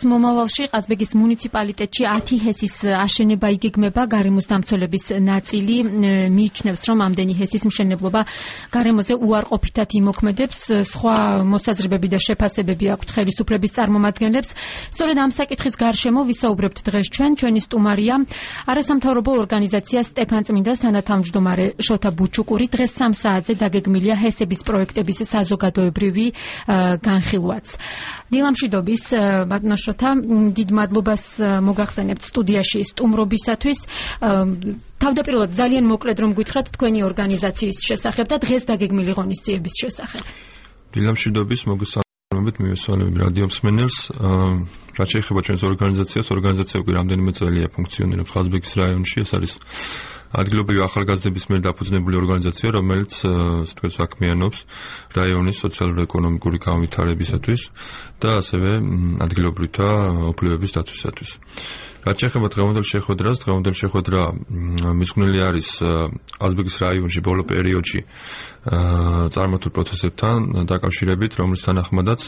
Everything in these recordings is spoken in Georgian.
მომავალში ყაზბეგის მუნიციპალიტეტში 10 ჰესის აშენება იგეგმება. გარემოს დამცველების ნაწილი მიიჩნევს, რომ ამდენი ჰესის მშენებლობა გარემოზე უარყოფითად იმოქმედებს. სხვა მოსაზრებები და შეფასებები აქვთ ხელისუფლების წარმომადგენლებს. სწორედ ამ საკითხის გარშემო ვისაუბრებთ დღეს ჩვენი სტუმარია არასამთავრობო ორგანიზაცია სტეფანწმინდას თანათავმჯდომარე შოთა ბუჩუკური. დღეს 3 საათზე დაგეგმილია ჰესების პროექტების საზოგადოებრივი განხილვაც. დილამშვიდობის ბატონო შოთა, დიდ მადლობას მოგახსენებთ სტუდიაში სტუმრობისათვის. თავდაპირველად ძალიან მოკლედ რომ გითხრათ თქვენი ორგანიზაციის შესახებ და დღეს დაგეგმილი ღონისძიების შესახებ. დილამშვიდობის, მოგესალმებით მივესალმები რადიო მსმენელს. რაც შეეხება ჩვენს ორგანიზაციას, ორგანიზაცია უკვე რამდენიმე წელია ფუნქციონირებს ყაზბეგის რაიონში. ეს არის ადგილობრივი ახალგაზრდების მიერ დაფუძნებული ორგანიზაცია, რომელიც საქმიანობს რაიონის სოციალურ-ეკონომიკური განვითარებისათვის და ასევე ადგილობრივთა უფლებების დაცვისათვის. რაც შეეხება დღევანდელ შეხვედრას, დღევანდელ შეხვედრა მიძღვნილი არის ყაზბეგის რაიონში ბოლო პერიოდში წარმართულ პროცესებთან დაკავშირებით, რომლის თანახმადაც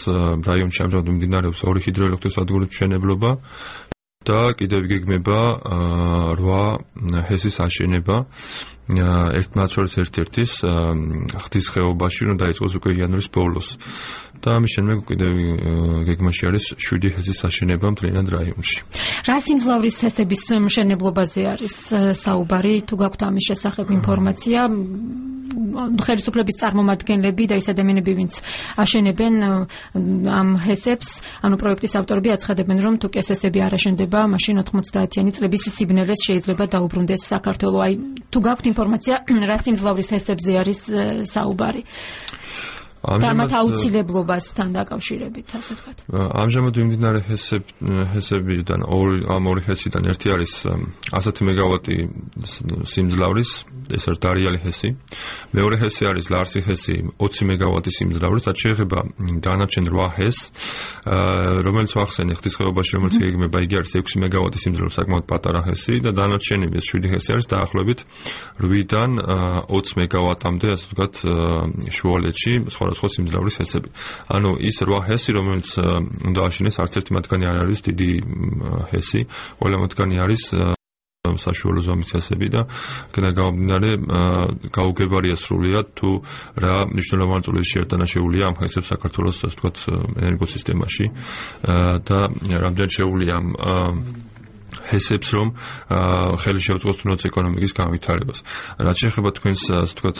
რაიონში ამჟამად მიმდინარეობს 2 ჰიდროელექტროსადგურის მშენებლობა და კიდევ იგეგმება 8 ჰესის აშენება. მათ შორის ერთ-ერთის ხდის ხეობაში, რომ დაიწყოს უკვე იანვრის ბოლოს. და ამის შემდეგ კიდევ გეგმაში არის 7 ჰესის აშენება მთლიანად რაიონში. რა სიმძლავრის ჰესების მშენებლობაზე არის საუბარი? თუ გაქვთ ამის შესახებ ინფორმაცია? ხელისუფლების წარმომადგენლები და ის ადამიანები, ვინც აშენებენ ამ ჰესებს, ანუ პროექტის ავტორები აცხადებენ, რომ თუ ჰესები არ აშენდება, მაშინ 90-იანი წლების სიბნელეს შეიძლება დაუბრუნდეს საქართველო. აი, თუ გაქვთ ინფორმაცია, რა სიმძლავრის ჰესებზე არის საუბარი? და მათ აუცილებლობასთან დაკავშირებით, ასე ვთქვათ. ამჟამად მიმდინარე ჰესებიდან ამ 2 ჰესიდან ერთი არის 100 მეგავატი სიმძლავრის, ეს არის დარიალი ჰესი. მეორე ჰესი არის ლარსი ჰესი 20 მეგავატი სიმძლავრის. რაც შეეხება დანარჩენ 8 ჰესს, რომელიც ვახსენე ხდის ხეობაში, რომელიც იგეგმება, იგი არის 6 მეგავატი სიმძლავრის, საკმაოდ პატარა ჰესი და დანარჩენი 7 ჰესი არის დაახლოებით 8-დან 20 მეგავატამდე, ასე ვთქვათ, შუალედში სხვა სიმძლავრის ჰესები. ანუ ის 8 ჰესი, რომელიც უნდა აშენეს, არც ერთი მათგანი არ არის დიდი ჰესი, ყველა მათგანი არის საშუალო ზომის ჰესები და აქედან გამომდინარე გაუგებარია სრულიად თუ რა მნიშვნელოვანი წვლილი შეერთანაშეულია ამ ჰესებს საქართველოს, ასე ვთქვათ, ენერგოსისტემაში და რამდენად შეუძლია ამ ჰესებს, რომ ხელი შეუწყოს თუნდაც ეკონომიკის განვითარებას. რაც შეეხება თქვენს, ასე ვთქვათ,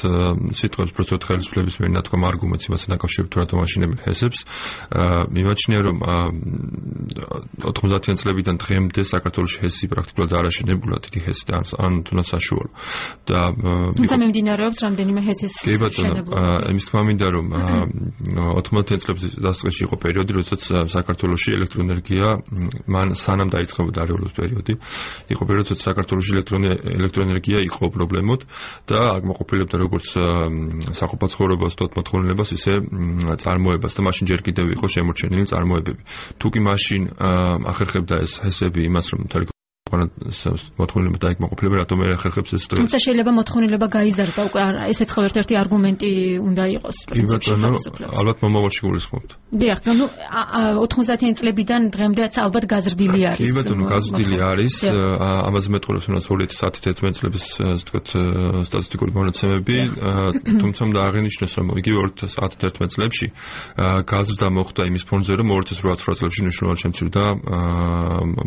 სიტყვებს პროცესად ხელისუფლების მიერ ნათქვამ არგუმენტს იმასთან დაკავშირებით, თუ რატომ აშენებენ ჰესებს, მიმაჩნია, რომ 90-იან წლებიდან დღემდე საქართველოში ჰესი პრაქტიკულად არ აშენებულა, დიდი ჰესი და ან თუნდაც საშუალო. და თუმცა მიმდინარეობს რამდენიმე ჰესის შენებლობა. იმის თქმა მინდა, რომ 90-იან წლების დასაწყისში იყო პერიოდი, როდესაც საქართველოში ელექტროენერგია მან სანამ დაიწყებოდა არეულობის პერიოდი, იყო პერიოდი, როდესაც საქართველოში ელექტროენერგია იყო პრობლემოდ და აკმაყოფილებდა როგორც საყოფაცხოვრებას, თოთ მოთხოვნილებას, ისე წარმოებას და მაშინ ჯერ კიდევ იყო შემორჩენილი წარმოებები. თუ კი მაშინ ახერხებდა ეს ჰესები იმას, რომ მოთხოვნილება დაიკმაყოფილება, რატომ არ ახერხებს ეს დღეს? თუმცა შეიძლება მოთხოვნილება გაიზარდა უკვე, ესეც ხო ერთ-ერთი არგუმენტი უნდა იყოს პრინციპში. ალბათ მომავალში გულისხმობთ. დიახ, ну 90-იან წლებიდან დღემდეაც ალბათ გაზრდილი არის. კი ბატონო, გაზრდილი არის. ამაზე მეტყველებს 2010-11 წლების, ასე ვთქვათ, სტატისტიკური მონაცემები, თუმცა უნდა აღინიშნოს, რომ იგივე 2010-11 წლებში გაზრდა მოხდა იმის ფონზე, რომ 2008 წლებში მნიშვნელოვნად შემცირდა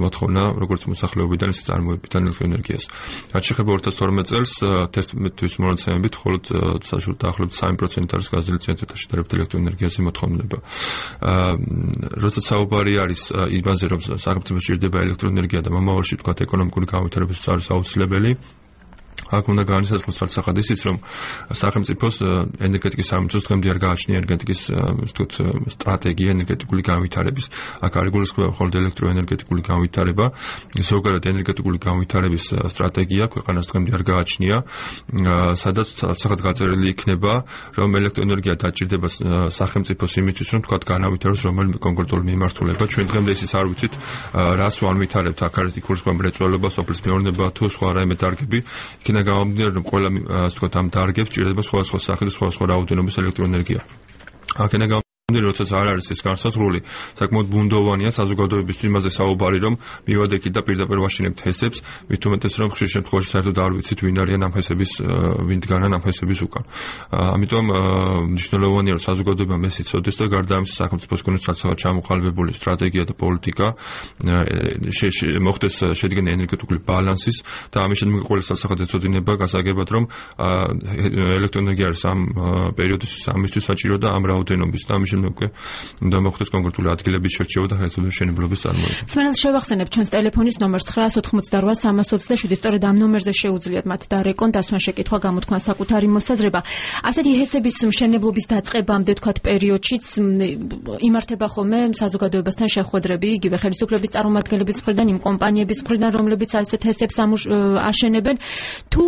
მოთხოვნა როგორც მოსახლეობიდან ისე წარმოებიდან ელექტროენერგიას. რაც შეეხება 2012 წელს, 11 თვის მონაცემებით მხოლოდ დაახლოებით 3% არის გაზრდილი წინასწარ შედარებით ელექტროენერგიაზე მოთხოვნილება. როცა საუბარი არის იმაზე, რომ სახელმწიფოს სჭირდება ელექტროენერგია და მომავალში თქვათ ეკონომიკური განვითარებისთვის არის აუცილებელი, აქ უნდა განისაზღვროს არცახად ისიც, რომ სახელმწიფოს ენერგეტიკის სამინისტროს დღემდე არ გააჩნია ენერგეტიკის ვთქვათ სტრატეგია ენერგეტიკული განვითარების. აქ არ იგულისხმება მხოლოდ ელექტროენერგეტიკული განვითარება, ზოგადად ენერგეტიკული განვითარების სტრატეგია ქვეყანას დღემდე არ გააჩნია, სადაც არცახად გაწერილი იქნება, რომ ელექტროენერგია დაჭირდება სახელმწიფოს იმისთვის, რომ თქვათ განავითაროს რომელიმე კონკრეტული მიმართულება. ჩვენ დღემდე ისიც არ ვიცით, რას ვანვითარებთ, აქ არის იგულისხმება მრეწველობა, სოფლის მეურნეობა თუ სხვა რაიმე დარგები. იქიდან გამომდინარე, რომ ყველა, ასე ვთქვათ, ამ დარგებს ჭირდება სხვადასხვა სახის, სხვადასხვა რაოდენობის ელექტროენერგია. აქედან როდესაც არ არის ეს განსაზღვრული, საკმაოდ ბუნდოვანია საზოგადოებისთვის იმაზე საუბარი, რომ მივადექით და პირდაპირ ვაშინებთ ჰესებს, მით უმეტეს რომ ხშირ შემთხვევაში საერთოდ არ ვიცით ვინ არიან ამ ჰესების, ვინ დგანან ამ ჰესების უკან. ამიტომ მნიშვნელოვანია რომ საზოგადოებამ ეს იცოდეს და გარდა ამისა სახელმწიფოს კონდეს ცალსაღად ჩამოყალიბებული სტრატეგია და პოლიტიკა მოხდეს შედგენილი ენერგეტიკული ბალანსის და ამის შემდეგ ყველა ცალსაღად ეცოდინება გასაგებად რომ ელექტროენერგია არის ამ პერიოდისთვის ამისთვის საჭირო და ამ რაოდენობის და ამის უკვე უნდა მოხდეს კონკრეტული ადგილების შერჩევა და ხელისუფლების მშენებლობის წარმოება. სმენელს შევახსენებ ჩვენს ტელეფონის ნომერს 988-327, სწორედ ამ ნომერზე შეუძლიათ მათ დარეკონ, დასვან შეკითხვა, გამოთქვან საკუთარი მოსაზრება. ასეთი ჰესების მშენებლობის დაწყებამდე თქვათ პერიოდშიც იმართება ხოლმე საზოგადოებასთან შეხვედრები, იგივე ხელისუფლების წარმომადგენლების მხრიდან, იმ კომპანიების მხრიდან, რომლებიც ასეთ ჰესებს აშენებენ. თუ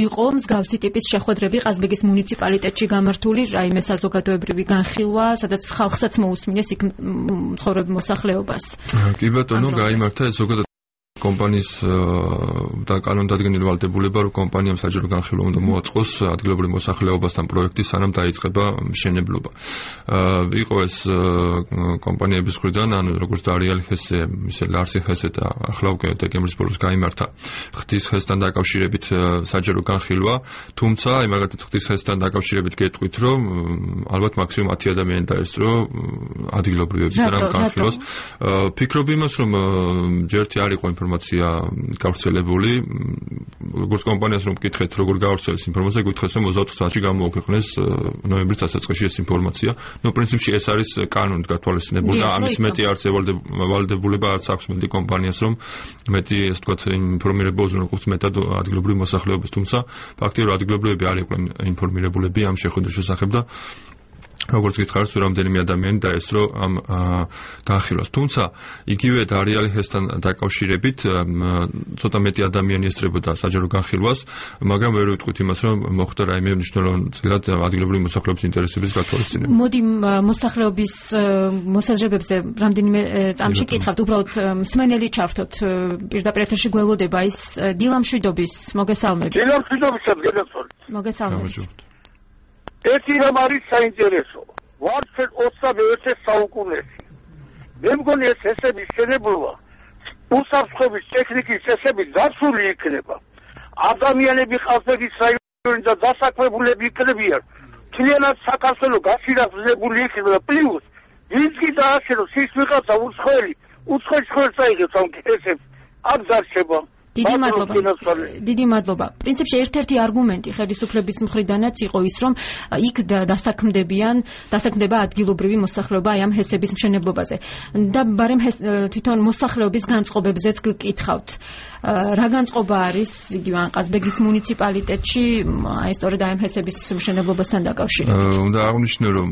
იყო მსგავსი ტიპის შეხვედრები ყაზბეგის მუნიციპალიტეტში გამართული, რაიმე საზოგადოებრივი განხილვა, სადაც ხალხსაც მოусმინეს იქ მცხოვრებ მოსახლეობას. კი ბატონო, გაიმართა ეს ზოგადად კომპანიის და კანონდადგენელი ვალდებულება, რომ კომპანიამ საჯარო განხილვა უნდა მოაწყოს ადგილობრივ მოსახლეობასთან პროექტი, სანამ დაიწყება მშენებლობა. იყო ეს კომპანიების მხრიდან, ანუ როგორც დარიალი ჰესე, ისე ლარსი ჰესე და ახლა უკვე დეკემბრის ბოლოს გაიმართა ხდის ჰესთან დაკავშირებით საჯარო განხილვა, თუმცა მაგალითად ხდის ჰესთან დაკავშირებით გეტყვით, რომ ალბათ მაქსიმუმ 10 ადამიანი დაესწრო ადგილობრივებიდან ამ განხილვას. ფიქრობ იმას, რომ ჯერთი არ იყო ინფორმაცია გავრცელებული, როგორც კომპანიას რომ მკითხეთ, როგორ გავრცელეს ინფორმაცია, გითხრეს რომ 24 საათში გამოუქვეყნეს ნოემბრის დასაწყისში ეს ინფორმაცია. ნუ პრინციპში ეს არის კანონით გათვალისწინებული და ამის მეტი არც ვალდებულება არც აქვს მეტი კომპანიას, რომ მეტი ეს თქვათ ინფორმირებულს უყურებს მეტად ადგილობრივ მოსახლეობას, თუმცა ფაქტია რომ ადგილობრივები არ იყვნენ ინფორმირებულები ამ შეხვედრის შესახებ და როგორც გითხარით, რამდენიმე ადამიანი დაესწრო ამ განხილვას. თუმცა იგივე დარიალი ჰესთან დაკავშირებით ცოტა მეტი ადამიანი ესწრებოდა საჯარო განხილვას, მაგრამ ვერ ვიტყვით იმას, რომ მოხდა რაიმე მნიშვნელოვნად ადგილობრივი მოსახლეობის ინტერესების გათვალისწინება. მოდი მოსახლეობის მოსაზრებებზე რამდენიმე წამში კითხავთ, უბრალოდ მსმენელი ჩავთოთ პირდაპირ ეთერში გველოდება ის დილამშვიდობის მოგესალმებით. დილამშვიდობისა გენაცვალეთ. მოგესალმებით. ერთი რამ არის საინტერესო. ვარცელ 21 საუკუნეში. მე მგონი ეს ჰესების შენებლობა უსაფრთხოების ტექნიკის წესებით დაცული იქნება. ადამიანები ყაზბეგის რაიონში და დასაქმებულები იქნებიან. მთლიანად საქართველო გასირაცხებული იქნება პლუს ვინც კი დააშენოს ის ვიღაცა უცხოელი წაიღებს ამ ჰესებს. აქ დარჩება. დიდი მადლობა. პრინციპში ერთ-ერთი არგუმენტი ხელისუფლების მხრიდანაც იყო ის, რომ იქ დასაქმდება ადგილობრივი მოსახლეობა აი ამ ჰესების მშენებლობაზე. და ბარემ თვითონ მოსახლეობის განწყობებზეც გკითხავთ. რა განწყობა არის იგივე ყაზბეგის მუნიციპალიტეტში აი სწორედ აი ამ ჰესების მშენებლობასთან დაკავშირებით? უნდა აღვნიშნო, რომ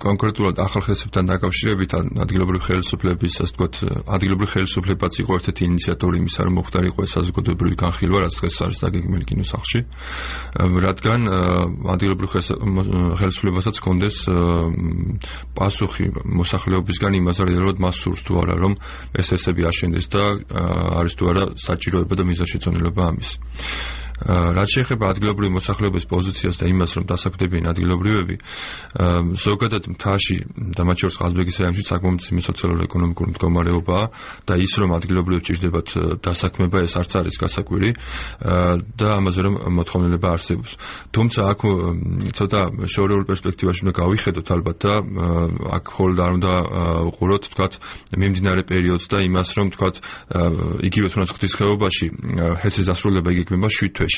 კონკრეტულად ახალ ჰესებთან დაკავშირებით ადგილობრივი ხელისუფლების, ასე ვთქვათ, ადგილობრივი ხელისუფლებაც იყო ერთ-ერთი ინიციატორი იმისა, რომ მოხდარიყო ეს საზოგადოებრივი განხილვა, რაც დღეს არის დაგეგმილი კინოსახლში, რადგან ადგილობრივ ხელისუფლებასაც ჰქონდეს პასუხი მოსახლეობისგან იმაზე, რომ მას სურს თუ არა, რომ ეს ჰესები აშენდეს და არის თუ არა საჭიროება და მიზანშეწონილობა ამის. რაც შეეხება ადგილობრივი მოსახლეობის პოზიციას და იმას, რომ დასაქმდებიან ადგილობრივები, ზოგადად მთაში და მათ შორის ყაზბეგის რაიონში საკმაოდ სოციალურ-ეკონომიკური მდგომარეობაა და ის, რომ ადგილობრივებს ჭირდებათ დასაქმება, ეს არც არის გასაკვირი და ამაზე რომ მოთხოვნილება არსებობს. თუმცა აქ ცოტა შორეულ პერსპექტივაში უნდა გავიხედოთ ალბათ და აქ მხოლოდ არ უნდა უყუროთ, თქვათ, მიმდინარე პერიოდს და იმას, რომ თქვათ, იგივე თუნდაც ღვთის ხეობაში ჰესის დასრულება იგეგმება 7 თვეში.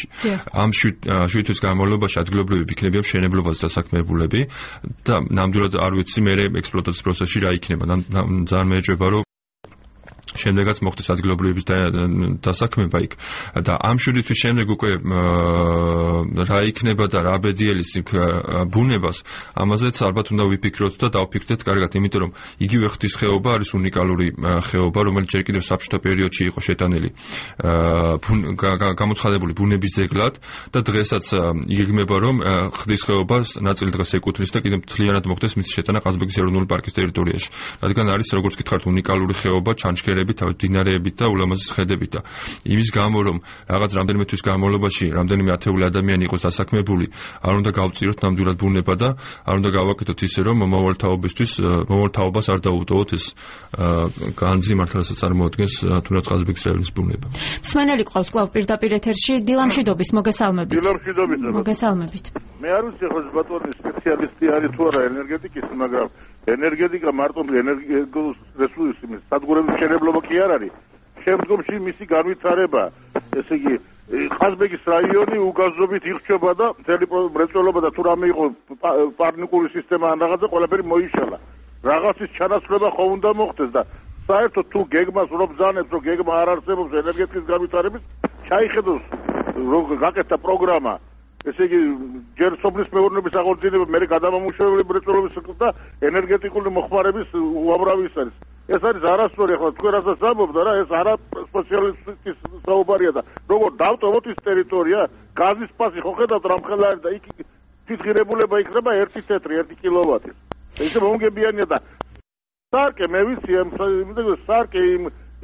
ამ 7 თვის განმავლობაში ადგილობრივები იქნებიან მშენებლობას დასაქმებულები და ნამდვილად არ ვიცი მე ექსპლუატაციის პროცესში რა იქნება. ძალიან მეეჭვება, რომ შემდეგაც მოხდეს ადგილობრივების დასაქმება იქ და ამ 7 თვის შემდეგ უკვე რა იქნება და რა ბედიელის იქ ბუნებას, ამაზეც ალბათ უნდა ვიფიქროთ და დავფიქრდეთ კარგად, იმიტომ რომ იგივე ღვთის ხეობა არის უნიკალური ხეობა, რომელიც ჯერ კიდევ საბჭოთა პერიოდში იყო შეტანილი გამოცხადებული ბუნების ძეგლად და დღესაც იგეგმება, რომ ღვთის ხეობას ნაწილი დღეს ეკუთვნის და კიდევ მთლიანად მოხდეს მისი შეტანა ყაზბეგის ეროვნული პარკის ტერიტორიაში. რადგან არის, როგორც გითხარით, უნიკალური ხეობა, ჩანჩქერები მდინარეებით და ულამაზეს ხედებით და იმის გამო რომ რაღაც რამდენიმე თვის განმავლობაში რამდენიმე ათეული ადამიანი იყოს დასაქმებული არ უნდა გავწიროთ ნამდვილად ბუნება და არ უნდა გავაკეთოთ ისე რომ მომავალთაობას არ დაუტოვოთ ეს განძი მართლაც წარმოადგენს თუნდაც ყაზბეგის რაიონის ბუნება. მსმენელი ყავს კვლავ პირდაპირ ეთერში დილამშვიდობის მოგესალმებით. მოგესალმებით. მე არ ვიცი ხო ბატონი სპეციალისტი არის თუ არა ენერგეტიკის, მაგრამ ენერგეტიკა მარტო ენერგიის რესურსის სადგურების მშენებლობა კი არ არის. შემდგომში მისი განვითარება, ესე იგი ყაზბეგის რაიონი უგაზობით ირჩება და მთელი მრეწველობა და თუ რამე იყო პარნიკური სისტემა ან რაღაცა ყველაფერი მოიშალა. რაღაცის ჩანაცვლება ხო უნდა მოხდეს და საერთოდ თუ გეგმას რომ ბრძანებს რომ გეგმა არ არსებობს ენერგეტიკის განვითარების ჩაიხედოს რომ გაკეთდა პროგრამა ესე იგი ჯერ სოფლის მეურნეობის აღორძინება მე გადამამუშავებელი მრეწველობის და ენერგეტიკული მოხმარების უამრავი ის არის. ეს არის არასწორი ახლა თქვენ რასაც ამბობთ და ეს არა სპეციალისტის საუბარია და როგორ დავტოვოთ ის ტერიტორია გაზის პასი ხო ხედავთ რამხელა არის და იქ ფიცხირებულება იქნება 1 თეთრი 1 კილოვატი. ესე მომგებიანია და სარკე მე ვიცი სარკე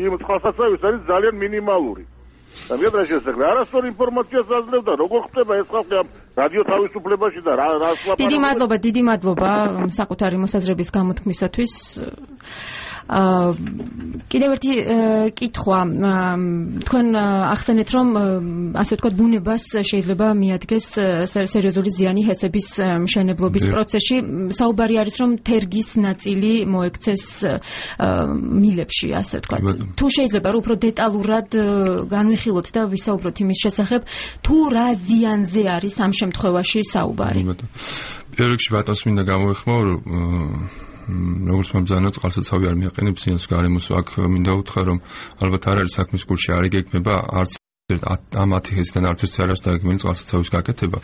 იმ წყალსაცავის არის ძალიან მინიმალური. და მეთქე შესაძლოა არასწორი ინფორმაციას აძლევდა როგორ ხდება ეს ხალხი ამ რადიო თავისუფლებაში და რა დიდი მადლობა საკუთარი მოსაზრების გამოთქმისათვის. კიდევ ერთი კითხვა თქვენ ახსენეთ რომ ასე ვთქვათ ბუნებას შეიძლება მიადგეს სერიოზული ზიანი ჰესების მშენებლობის პროცესში საუბარი არის რომ თერგის ნაწილი მოექცეს მილებში ასე ვთქვათ თუ შეიძლება რომ უფრო დეტალურად განვიხილოთ და ვისაუბროთ იმის შესახებ თუ რა ზიანზე არის ამ შემთხვევაში საუბარი პირველ რიგში ბატონს მინდა გამოეხმო როგორც მომძანოთ წყალსაცავი არ მიაყენებს ზიანს გარემოს აქ მინდა უთხრა რომ ალბათ არ არის საქმის კურსში არ იგეგმება არც ამ 10 ჰესიდან არც ერთი არ არის დაგეგმილი წყალსაცავის გაკეთება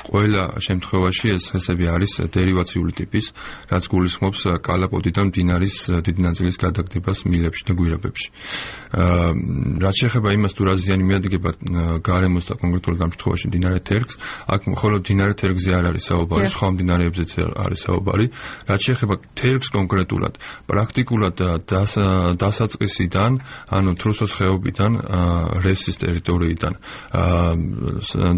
ყველა შემთხვევაში ეს ჰესები არის დერივაციული ტიპის რაც გულისხმობს კალაპოტიდან მდინარის დიდი ნაწილის გადაგდებას მილებში და გვირაბებში რაც შეეხება იმას თუ რა ზიანი მიადგება გარემოს და კონკრეტულად ამ შემთხვევაში მდინარე თერგს აქ მხოლოდ მდინარე თერგზე არ არის საუბარი სხვა მდინარეებზეც არის საუბარი რაც შეეხება თერგს კონკრეტულად პრაქტიკულად დასაწყისიდან ანუ თრუსოს ხეობიდან რესის ტერიტორიიდან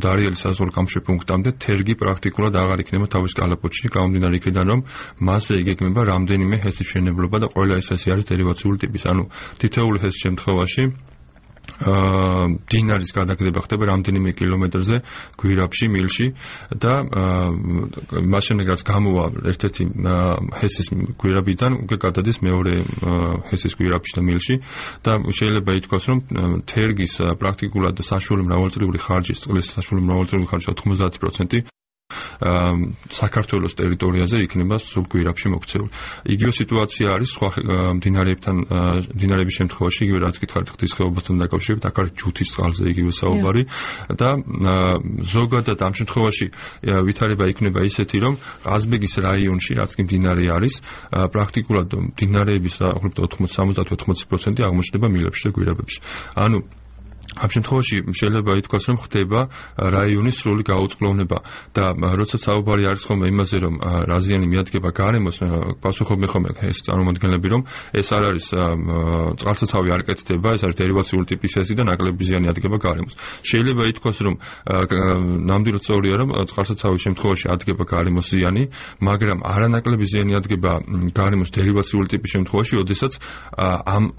დარიელის საზღვაო გამშვი პუნქტამდე თერგი პრაქტიკულად აღარ იქნება თავის კალაპოტში გამომდინარე იქიდან რომ მასზე იგეგმება რამდენიმე ჰესის მშენებლობა და ყველა ეს ჰესი არის დერივაციული ტიპის ანუ თითოეული ჰესის შემთხვევაში დინარის გადაგდება ხდება რამდენიმე კილომეტრზე გვირაბში მილში და მას შემდეგ რაც გამოვა ერთ-ერთი ჰესის გვირაბიდან უკვე გადადის მეორე ჰესის გვირაბში და მილში და შეიძლება ითქვას რომ თერგის პრაქტიკულად საშუალო მრავალწლიური ხარჯის წყლის საშუალო მრავალწლიური ხარჯის 90% საქართველოს ტერიტორიაზე იქნება სულ გვირაბში მოქცეული. იგივე სიტუაცია არის სხვა მდინარეების შემთხვევაში, იგივე რაც გითხარით ღვთის ხეობასთან დაკავშირებით, აქ არის ჯუთის წყალზე იგივე საუბარი და ზოგადად ამ შემთხვევაში ვითარება იქნება ისეთი, რომ ყაზბეგის რაიონში, რაც კი მდინარე არის, პრაქტიკულად მდინარეების დაახლოებით 70-80% აღმოჩნდება მილებში და გვირაბებში. ანუ ამ შემთხვევაში შეიძლება ითქვას, რომ ხდება რაიონის სრული გაუწყლოვნება და როცა საუბარი არის ხოლმე იმაზე, რომ რა ზიანი მიადგება გარემოს, პასუხობენ ხოლმე ეს წარმომადგენლები, რომ ეს არ არის წყალსაცავი არ კეთდება, ეს არის დერივაციული ტიპის ჰესი და ნაკლები ზიანი ადგება გარემოს. შეიძლება ითქვას, რომ ნამდვილად სწორია, რომ წყალსაცავის შემთხვევაში ადგება გარემოს ზიანი, მაგრამ არანაკლები ზიანი ადგება გარემოს დერივაციული ტიპის შემთხვევაში, ოდესაც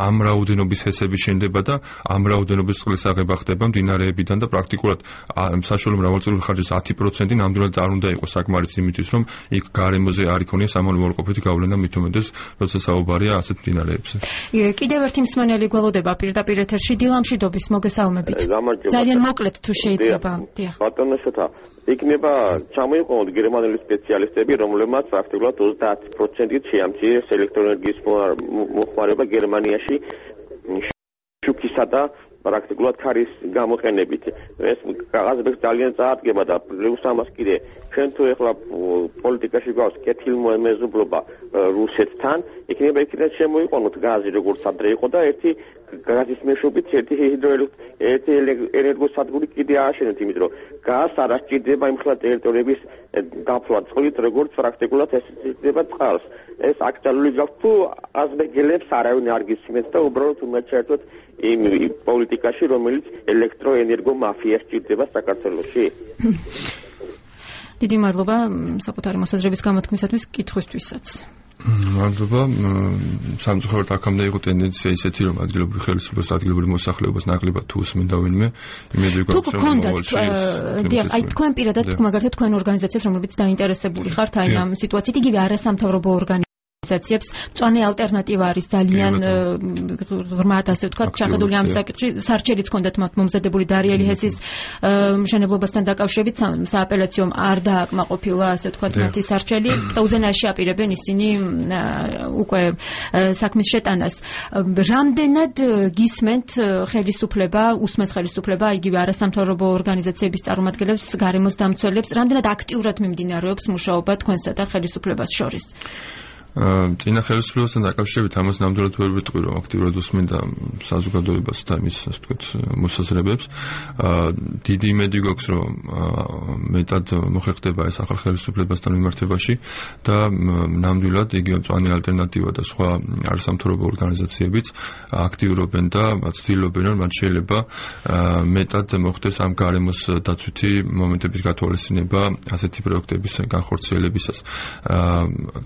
ამ რაოდენობის ჰესები შენდება და ამ რაოდენობის წყლის აღება ხდება მდინარეებიდან და პრაქტიკულად საშუალო მრავალწლიური ხარჯის 10% ნამდვილად არ უნდა იყოს საკმარისი იმისთვის, რომ იქ გარემოზე არ იქონიეს ამონუარყოფითი გავლენა მით უმეტეს, როცა საუბარია ასეთ მდინარეებზე. კიდევ ერთი მსმენელი გველოდება პირდაპირ ეთერში დილამშვიდობის მოგესალმებით. ძალიან მოკლედ თუ შეიძლება. ბატონო შოთა იქნება ჩამოიყვანოთ გერმანელი სპეციალისტები, რომლებმაც პრაქტიკულად 30%-ით შეამჩნიეს ელექტროენერგიის მოხმარება გერმანიაში შუქისა და პრაქტიკულად ქარის გამოყენებით. ეს ყაზბეგს ძალიან წაადგება და პლუს ამას კიდე ჩვენ თუ ეხლა პოლიტიკაში გვაქვს კეთილმოემეზობლობა რუსეთთან, იქნება იქიდან შემოიყენოთ გაზი როგორც ადრე იყო და ერთი გაზის მეშვეობით ერთი ენერგოსადგური კიდე ააშენოთ, იმიტომ რომ გაზს არ ასჭირდება იმ ხელ ტერიტორიების დაფლა წყლით, როგორც პრაქტიკულად ეს ისწრება წყალს. ეს აქტუალური გაქვს თუ აზბეგელებს არავინ არ გისმენთ და უბრალოდ უნდა ჩაერთოთ იმ პოლიტიკაში, რომელიც ელექტროენერგო მაფიას ჭირდება საქართველოში. დიდი მადლობა საკუთარი მოსაზრების გამოთქმისათვის, კითხვისთვისაც. მადლობა. სამწუხაროდ აქამდე იყო ტენდენცია ისეთი, რომ ადგილობრივი ხელისუფლებას, ადგილობრივ მოსახლეობას ნაკლებად თუ უსმენდა ვინმე, იმედი გვაქვს, რომ აი თქვენ პირადად მაგალითად თქვენ ორგანიზაციას, რომლებიც დაინტერესებული ხართ აი ამ სიტუაციით, იგივე არასამთავრობო ორგანიზაციებს მწვანე ალტერნატივა არის ძალიან ღრმად ასე ვთქვათ ჩახედული ამ საკითხში. სარჩელიც ჰქონდათ მათ მომზადებული დარიელი ჰესის მშენებლობასთან დაკავშირებით, სააპელაციო არ დააკმაყოფილა ასე ვთქვათ მათი სარჩელი და უზენაესი აპირებენ ისინი უკვე საქმის შეტანას. რამდენად გისმენთ ხელისუფლება, უსმენს ხელისუფლება იგივე არასამთავრობო ორგანიზაციების წარმომადგენლებს, გარემოს დამცველებს, რამდენად აქტიურად მიმდინარეობს მუშაობა თქვენსა და ხელისუფლებას შორის? წინა ხელისუფლებასთან დაკავშირებით ამას ნამდვილად ვერ ვიტყვი, რომ აქტიურად უსმენდა საზოგადოებას და მის ასე ვთქვათ მოსაზრებებს. დიდი იმედი გვაქვს, რომ მეტად მოხერხდება ეს ახალ ხელისუფლებასთან მიმართებაში და ნამდვილად იგივე მწვანე ალტერნატივა და სხვა არასამთავრობო ორგანიზაციებიც აქტიურობენ და ცდილობენ, რომ მათ შეიძლება მეტად მოხდეს ამ გარემოს დაცვითი მომენტების გათვალისწინება ასეთი პროექტების განხორციელებისას.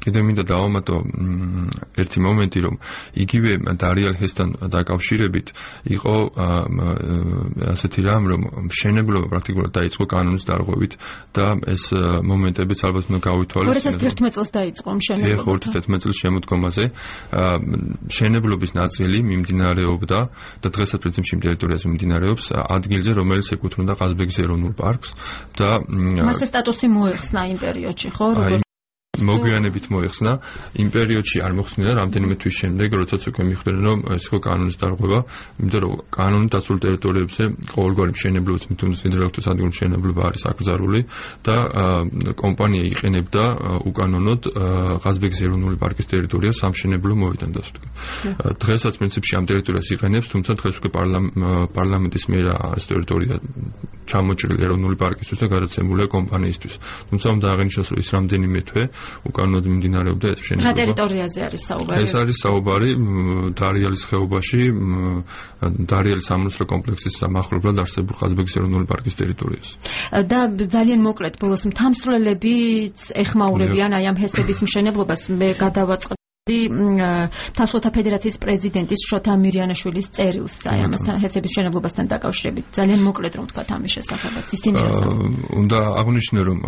კიდევ მინდა დავამატო ერთი მომენტი, რომ იგივე დარიელ ჰესთან დაკავშირებით იყო ასეთი რამ, რომ მშენებლობა პრაქტიკულად დაიწყო კანონის დარღვევით და ეს მომენტებიც ალბათ უნდა გავითვალისწინოთ. 2011 წელს დაიწყო მშენებლობა. 2011 წლის შემოდგომაზე მშენებლობის ნაწილი მიმდინარეობდა და დღესაც პრინციპში იმ ტერიტორიაზე მიმდინარეობს ადგილზე, რომელიც ეკუთვნოდა ყაზბეგის ეროვნულ პარკს და მასე სტატუსი მოეხსნა იმ პერიოდში, ხო? მოგვიანებით მოეხსნა, იმ პერიოდში არ მოხსნილა რამდენიმე თვის შემდეგ, როდესაც უკვე მიხვდნენ, რომ ეს იყო კანონის დარღვევა, იმიტომ რომ კანონით დაცულ ტერიტორიებზე ყოველგვარი მშენებლობის თუნდაც ნიდერლანდების ადგილობრივი მშენებლობა არის აკრძალული და კომპანია იყენებდა უკანონოდ ყაზბეგის ეროვნული პარკის ტერიტორიას სამშენებლო მოედანს. დღესაც პრინციპში ამ ტერიტორიას იყენებს, თუმცა დღეს უკვე პარლამენტის მიერ ეს ტერიტორია ჩამოჭრილი ეროვნული პარკისთვის და გადაცემულია კომპანიისთვის. თუმცა უნდა აღინიშნოს, რომ ის რამდენიმე თვე უკანონოდ მიმდინარეობდა ეს მშენებლობა. რა ტერიტორიაზე არის საუბარი? ეს არის საუბარი დარიელის ხეობაში, დარიელის სამონასტრო კომპლექსის მახლობლად არსებულ ყაზბეგის ეროვნული პარკის ტერიტორიაზე. და ძალიან მოკლედ ბოლოს მთამსვლელებიც ეხმაურებიან აი ამ ჰესების მშენებლობას. მე გადავაწყდი თამსვლელთა ფედერაციის პრეზიდენტის შოთა მირიანაშვილის წერილს აი ამასთან ჰესების მშენებლობასთან დაკავშირებით. ძალიან მოკლედ რომ ვთქვათ ამის შესახებაც. ისინი უნდა აღვნიშნო, რომ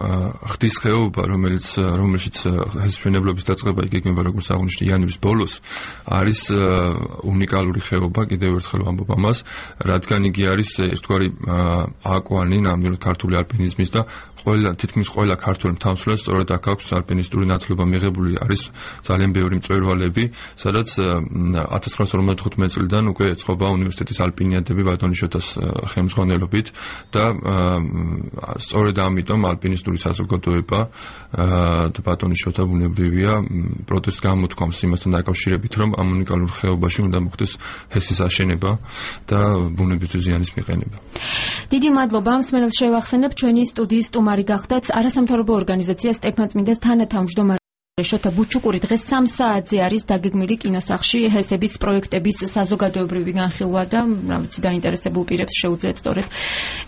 ხდის ხეობა, რომელშიც ჰესის მშენებლობის დაწყება იგეგმება როგორც აღვნიშნე იანვრის ბოლოს, არის უნიკალური ხეობა, კიდევ ერთხელ ვამბობ ამას, რადგან იგი არის ერთგვარი აკვანი ნამდვილად ქართული ალპინიზმის და თითქმის ყველა ქართული მთამსვლელს სწორედ აქ აქვს ალპინისტური ნათლობა მიღებული. არის ძალიან ბევრი მწვერვალები, სადაც 1955 წლიდან უკვე ეწყობა უნივერსიტეტის ალპინიადები ბატონიშვილი ხელმძღვანელობით და სწორედ ამიტომ ალპინისტური საზოგადოება და ბატონიშვილთა ბუნებრივია პროტესტს გამოთქვამს იმასთან დაკავშირებით, რომ ამ უნიკალურ ხეობაში უნდა მოხდეს ჰესის აშენება და ბუნებისთვის ზიანის მიყენება. დიდი მადლობა. მსმენელს შევახსენებ, ჩვენი სტუდიის სტუმარი გახდათ არასამთავრობო ორგანიზაცია სტეფანწმინდეს თანათავმჯდომარე შოთა ბუჩუკური. დღეს 3 საათზე არის დაგეგმილი კინოსახლში ჰესების პროექტების საზოგადოებრივი განხილვა და რა ვიცი დაინტერესებულ პირებს შეუძლიათ სწორედ